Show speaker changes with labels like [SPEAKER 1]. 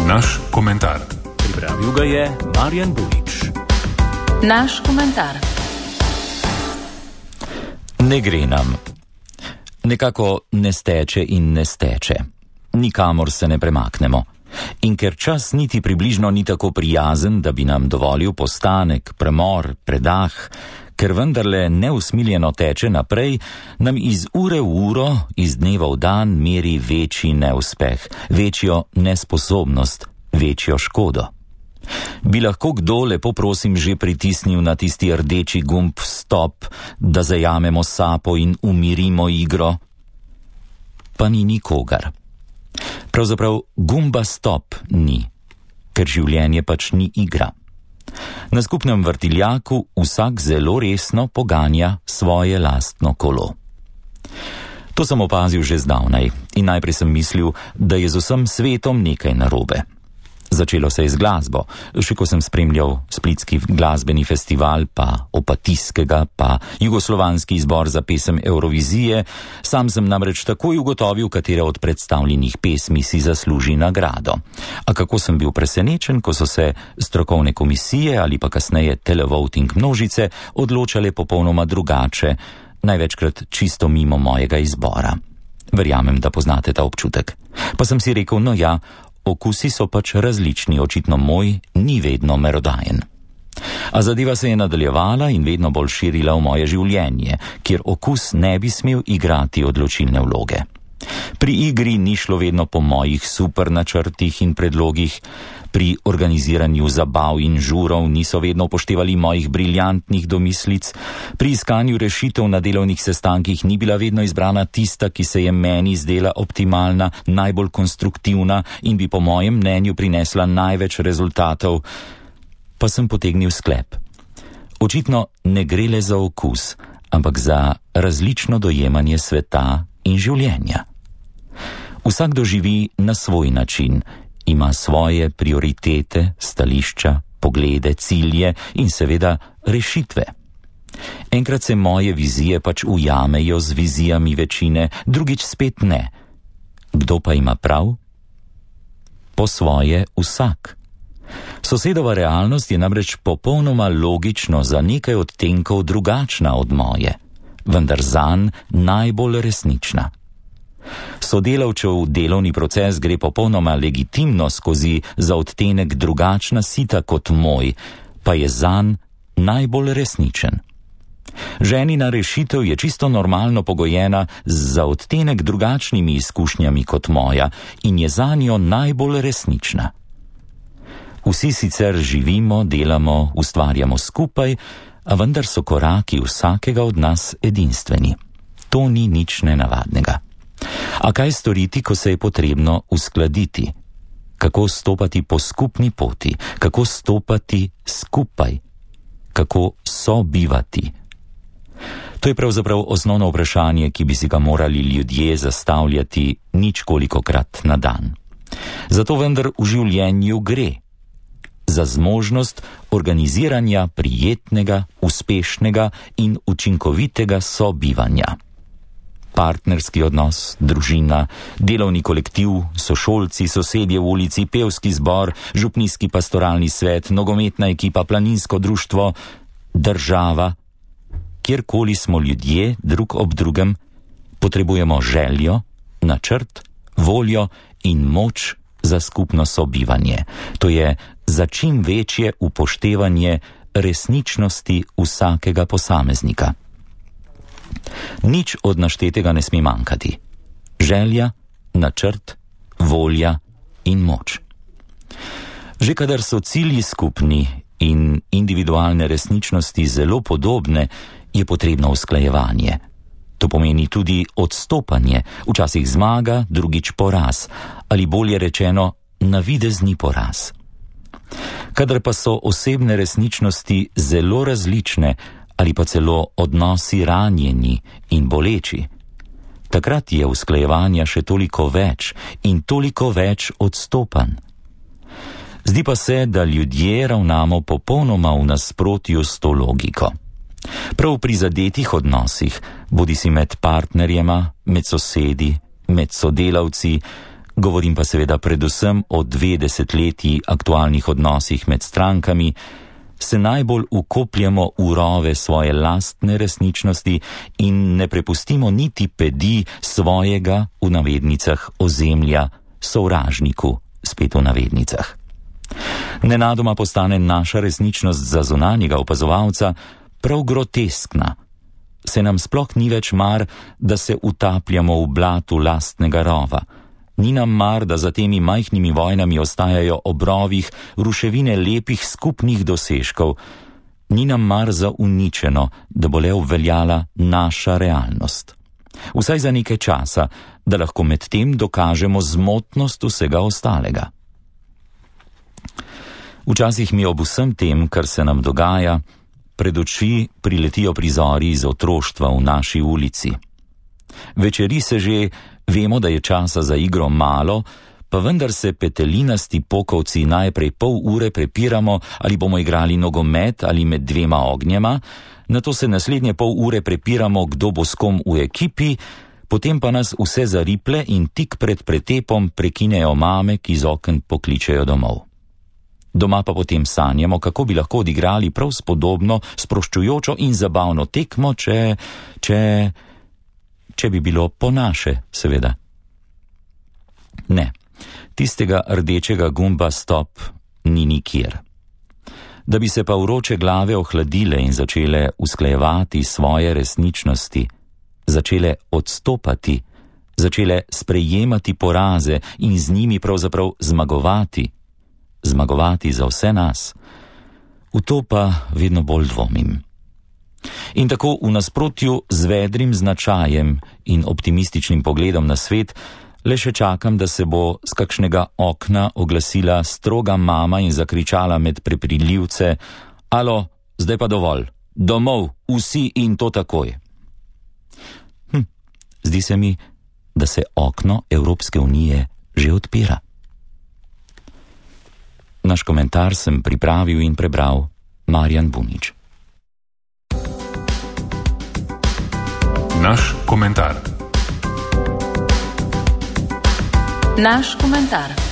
[SPEAKER 1] Naš komentar.
[SPEAKER 2] Pripravil ga je Marjan Bulič.
[SPEAKER 3] Naš komentar.
[SPEAKER 4] Ne gre nam. Nekako ne steče in ne steče. Nikamor se ne premaknemo. In ker čas niti približno ni tako prijazen, da bi nam dovolil postanek, premor, predah, ker vendarle neusmiljeno teče naprej, nam iz ure v uro, iz dneva v dan meri večji neuspeh, večjo nesposobnost, večjo škodo. Bi lahko kdo, lepo prosim, že pritisnil na tisti rdeči gumb stop, da zajamemo sapo in umirimo igro? Pa ni nikogar. Pravzaprav gumba stop ni, ker življenje pač ni igra. Na skupnem vrtiljaku vsak zelo resno poganja svoje lastno kolo. To sem opazil že zdavnaj in najprej sem mislil, da je z vsem svetom nekaj narobe. Začelo se je z glasbo, še ko sem spremljal splitski glasbeni festival, pa Opatijskega, pa jugoslovanski izbor za pesem Eurovizije, sam sem namreč takoj ugotovil, katera od predstavljenih pesmi si zasluži nagrado. A kako sem bil presenečen, ko so se strokovne komisije ali pa kasneje televoting množice odločale popolnoma drugače, največkrat čisto mimo mojega izbora. Verjamem, da poznate ta občutek. Pa sem si rekel, no ja, okusi so pač različni, očitno moj ni vedno merodajen. A zadeva se je nadaljevala in vedno bolj širila v moje življenje, kjer okus ne bi smel igrati odločilne vloge. Pri igri ni šlo vedno po mojih super načrtih in predlogih, pri organiziranju zabav in žurov niso vedno upoštevali mojih briljantnih domislic, pri iskanju rešitev na delovnih sestankih ni bila vedno izbrana tista, ki se je meni zdela optimalna, najbolj konstruktivna in bi po mojem mnenju prinesla največ rezultatov. Pa sem potegnil sklep. Očitno ne gre le za okus, ampak za različno dojemanje sveta in življenja. Vsak doživi na svoj način, ima svoje prioritete, stališča, poglede, cilje in seveda rešitve. Enkrat se moje vizije pač ujamejo z vizijami večine, drugič spet ne. Kdo pa ima prav? Po svoje vsak. Sosedova realnost je namreč popolnoma logično za nekaj odtenkov drugačna od moje, vendar zanj najbolj resnična. Sodelavčev delovni proces gre popolnoma legitimno skozi za odtenek drugačna sita kot moj, pa je zanj najbolj resničen. Ženina rešitev je čisto normalno pogojena za odtenek drugačnimi izkušnjami kot moja in je zanjo najbolj resnična. Vsi sicer živimo, delamo, ustvarjamo skupaj, a vendar so koraki vsakega od nas edinstveni. To ni nič nenavadnega. A kaj storiti, ko se je potrebno uskladiti? Kako stopati po skupni poti? Kako stopati skupaj? Kako sobivati? To je pravzaprav osnovno vprašanje, ki bi si ga morali ljudje zastavljati ničkolikokrat na dan. Zato vendar v življenju gre za zmožnost organiziranja prijetnega, uspešnega in učinkovitega sobivanja. Partnerski odnos, družina, delovni kolektiv, sošolci, sosedje v ulici, pevski zbor, župnijski pastoralni svet, nogometna ekipa, planinsko društvo, država. Kjerkoli smo ljudje drug ob drugem, potrebujemo željo, načrt, voljo in moč za skupno sobivanje. To je za čim večje upoštevanje resničnosti vsakega posameznika. Nič od naštetega ne sme manjkati. Želja, načrt, volja in moč. Že kadar so cilji skupni in individualne resničnosti zelo podobne, je potrebno usklajevanje. To pomeni tudi odstopanje, včasih zmaga, drugič poraz, ali bolje rečeno, navidezni poraz. Kadar pa so osebne resničnosti zelo različne, ali pa celo odnosi ranjeni in boleči, takrat je usklajevanja še toliko več in toliko več odstopanj. Zdi pa se, da ljudje ravnamo popolnoma v nasprotju s to logiko. Prav pri zadetih odnosih, bodisi med partnerjema, med sosedi, med sodelavci, govorim pa seveda predvsem o 2 desetletji aktualnih odnosih med strankami, se najbolj ukopljamo v rove svoje lastne resničnosti in ne prepustimo niti pedi svojega, v navednicah, ozemlja, sovražniku, spet v navednicah. Nenadoma postane naša resničnost za zunanjega opazovalca prav groteskna. Se nam sploh ni več mar, da se utapljamo v blatu lastnega rova. Ni nam mar, da za temi majhnimi vojnami ostajajo ob rovih ruševine lepih skupnih dosežkov. Ni nam mar za uničeno, da bo le obveljala naša realnost. Vsaj za nekaj časa, da lahko med tem dokažemo zmotnost vsega ostalega. Včasih mi ob vsem tem, kar se nam dogaja, pred oči priletijo prizori iz otroštva v naši ulici. Večeri se že, vemo, da je časa za igro malo, pa vendar se petelinasti pokovci najprej pol ure prepiramo, ali bomo igrali nogomet ali med 2 ognjema, nato se naslednje pol ure prepiramo, kdo bo s kom v ekipi, potem pa nas vse zariple in tik pred pretepom prekinejo mame, ki z oken pokličejo domov. Doma pa potem sanjamo, kako bi lahko odigrali prav spodobno, sproščujočo in zabavno tekmo, če bi bilo po naše, seveda. Ne, tistega rdečega gumba stop ni nikjer. Da bi se pa vroče glave ohladile in začele usklajevati svoje resničnosti, začele odstopati, začele sprejemati poraze in z njimi pravzaprav zmagovati za vse nas, v to pa vedno bolj dvomim. In tako v nasprotju z vedrim značajem in optimističnim pogledom na svet, le še čakam, da se bo z kakšnega okna oglasila stroga mama in zakričala med prepriljivce: "Alo, zdaj pa dovolj, domov, vsi in to takoj." Zdi se mi, da se okno Evropske unije že odpira. Naš komentar sem pripravil in prebral Marjan Bunič.
[SPEAKER 2] Naš komentar.
[SPEAKER 3] Naš komentar.